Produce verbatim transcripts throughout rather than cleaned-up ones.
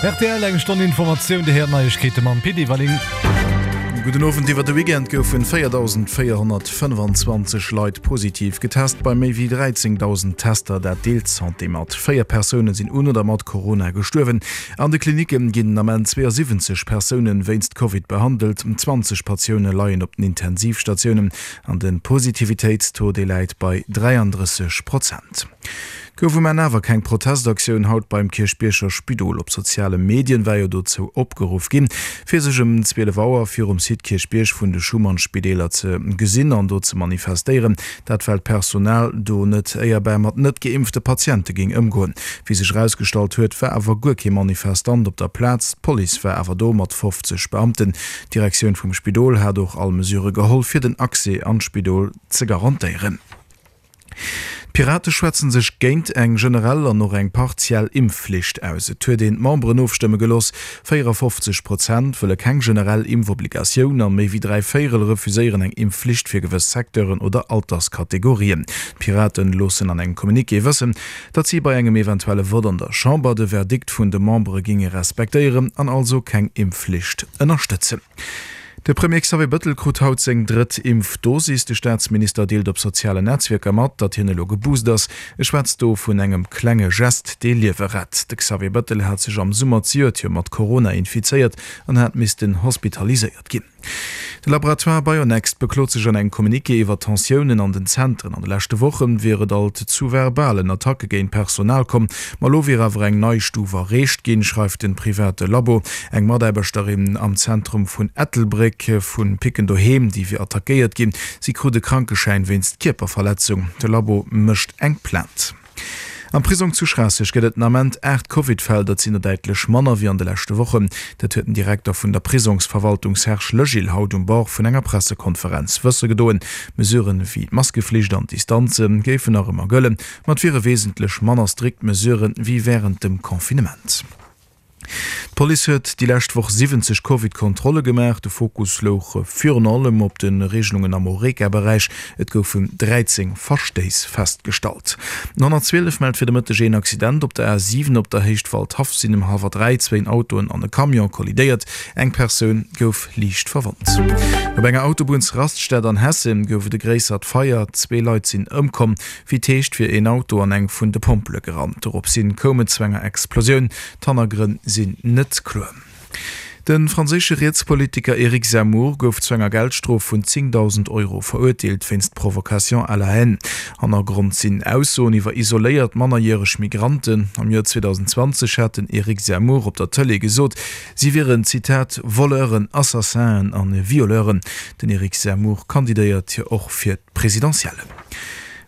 Rtl, eng Stonn Informatioun, Dir héiert Neiegkeete mam Pit Everling. Gudden Owend, Iwwer de Weekend goufen véierdausendvéierhonnertfënnfanzwanzeg Leit positiv getest, bei méi wéi dräizéngdausend Tester. Dat deelt d'Santé mat. Véier Persoune sinn un oder mat Corona gestuerwen. An de Klinicke ginn den Ament zweeasiwwenzeg Persoune wéinst Covid behandelt, zwanzeg Patioune leien op den Intensivstatiounen an de Positivitéitstaux, dee läit bei dräiandrësseg Prozent. Gouf um Enn awer keng Protestaktioun haut beim Kierchbierger Spidol. Op soziale Medien war jo dozou opgeruff ginn, fir sech ëm zwielef Auer virum Site Kierchbierg vun de Schuman-Spideeler ze gesinn an do ze manifestéieren. Dat well d'Personal do net éierbar mat net geimpfte Patiente géing ëmgoen. Wéi sech erausgestallt huet, war awer guer kee Manifestant op der Plaz. D'Police war awer do mat fofzeg Beamten. D'Direktioun vum Spidol hat och all Mesure geholl, fir den Accès an d'Spidol ze garantéieren. D'Pirate schwätzen sech géint eng generell an och eng partiell Impfflicht aus. Et huet een d'Memberen ofstëmme gelooss, véierafofzeg Prozent wëlle keng generell Impfobligatioun a méi wéi dräi Véierel refuséieren eng Impfflicht fir gewëss Secteuren oder Alterskategorien. D'Piraten loossen an engem Communiqué wëssen, datt si bei engem eventuelle Vott an der Chamber de Verdikt vun de Membere géinge respektéieren an also keng Impfflicht ënnerstëtzen. De Premier Xavier Bëttel krut haut seng drëtt Impfdosis. De Staatsminister deelt op sozialen Netzwierker mat, datt hien elo geboost ass. E schwätzt do vun engem klenge Gest, dee Liewe rett. De Xavier Bëttel hat sech am Summer zejoert jo mat Corona infizéiert an hat missten hospitaliséiert ginn. De Laboratoire Bionext beklot sech an engem Communiqué iwwer Tensiounen an den Zentren. An de leschte Woche wier et alt zu verbalen Attacke géint d'Personal komm. Ma elo wier awer eng nei Stuf erreecht ginn, schreift de private Labo. Eng Mataarbechterin am Zentrum vun Ettelbréck vu Picken Doheem, déi wier attackéiert ginn. Si krut e Krankeschäin wéinst Kierperverletzung. De Labo mécht eng Plainte. Am Prisong zu Schraasseg gëtt et den Ament aacht Covid-Fäll, dat sinn der däitlech manner wéi an de leschte Wochen. Dat huet den Direkter vun der Prisongsverwaltung Serge Legil haut um Bord vun enger Pressekonferenz wësse gedoen. Mesuren wéi d'Maskeflicht an d'Distanze géifen nach ëmmer gëllen, ma et wiere wesentlech manner strikt Mesurë wéi wärend dem Confinement. D'Police huet déi lescht Woch siwwenzeg Covid-Kontrolle gemaach. De Fokus louch virun allem op de Reegelungen am Horeca-Beräich. Et goufen dräizéng Verstéiss festgestallt. Den honnertzwielef mellt fir de Mëtteg een Accident op der A siwen op der Héicht Waldhaff sinn ëm hallwer dräi zwéin Autoen an e Camion kollidéiert. Eng Persoun gouf liicht verwonnt. Op enger Autobunnsraststätt an Hessen gouf et e gréissert Feier. Zwee Leit sinn ëmkomm. Wéi et heescht, wier een Auto an eng vun de Pompele gerannt. Doropshin koum et zu enger Explosioun. D'Hannergrënn sinn net kloer. De franséische Rietspolitiker Eric Zemmour gouf zu enger Geldstrof vun zéngdausend Euro verurteelt wéinst Provocation à la haine. Hannergrond sinn Aussoen iwwer isoléiert mannerjäreg Migranten. Am Joer zweedausendzwanzeg hat den Eric Zemmour op der Tëlee gesot, si wieren, Zitat, Voleuren, Assassinen an Violeuren. Den Eric Zemmour kandidéiert jo och fir d'Presidentiellen.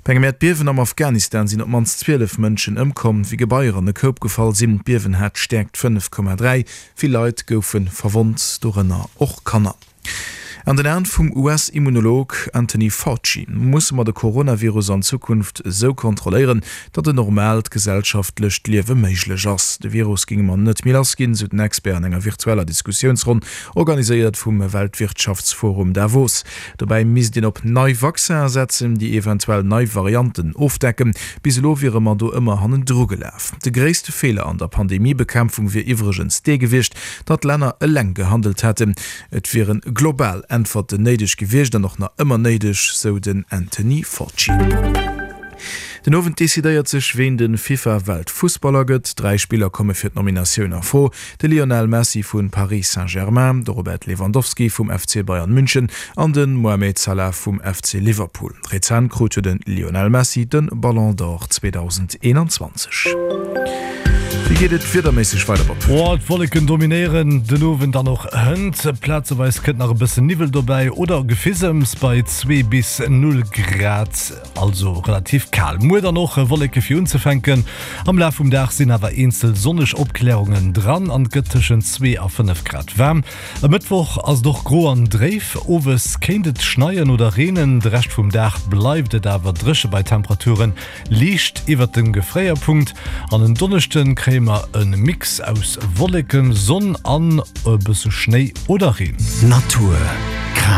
Bei engem Äerdbiewen am Afghanistan sinn op d'mannst zwielef Mënschen ëmkomm, wéi Gebaier an e Koup gefall sinn. D'Biewen hat d'Stäerkt fënnef Komma dräi. Vill Leit goufe verwonnt, dorënner och Kanner. An den Aen vum U S-Immunolog Anthony Fauci musse mer de Coronavirus an Zukunft esou kontrolléieren, datt en normaalt gesellschaftlecht Liewe méiglech ass. De Virus géinge mer net méi lass ginn, sou den Expert an enger virtueller Diskussiounsronn, organiséiert vum Weltwirtschaftsforum Davos. Dobäi misst een op nei Vaccinen setzen, déi eventuell nei Varianten ofdecken. Bis elo wiere mer do ëmmer hannendru gelaf. De gréisste Feeler an der Pandemiebekämpfung wier iwwregens dee gewiescht, datt Länner eleng gehandelt hätten. Et wiere global Äntwerten néideg gewiescht an och nach ëmmer néideg, sou den Anthony Fauci. Den Owend decidéiert sech, ween de FIFA-Weltfussballer gëtt. Dräi Spiller komme fir d'Nominatioun a Fro, de Lionel Messi vu Paris Saint-Germain, de Robert Lewandowski vum F C Bayern München an de Mohamed Salah vum F C Liverpool. Rezent krut jo de Lionel Messi de Ballon d'Or zweedausendeenanzwanzeg. Wéi geet et wiederméisseg weider, Bob? Oh, d'Wolleken dominéieren den Owend an och hënt. Plazeweis kënnt nach e bëssen Niwwel dobäi oder Gefisems bei zwee bis null Grad, also relativ kal. Muer dann och Wolleke fir unzefänken. Am Laf vum Dag sinn awer eenzel sonneg Opklärungen dran an et gëtt tëschent zwee a fënnef Grad waarm. E Mëttwoch ass et och gro an dréif, owes kéint et schneien oder reenen. De Rescht vum Dag bleift et awer dréche bei Temperaturen liicht iwwert dem Gefréierpunkt. An en Donneschde kréie mer e Mix aus Wolleken, Sonn an e bësse Schnéi oder Reen. Natur, Kraaft.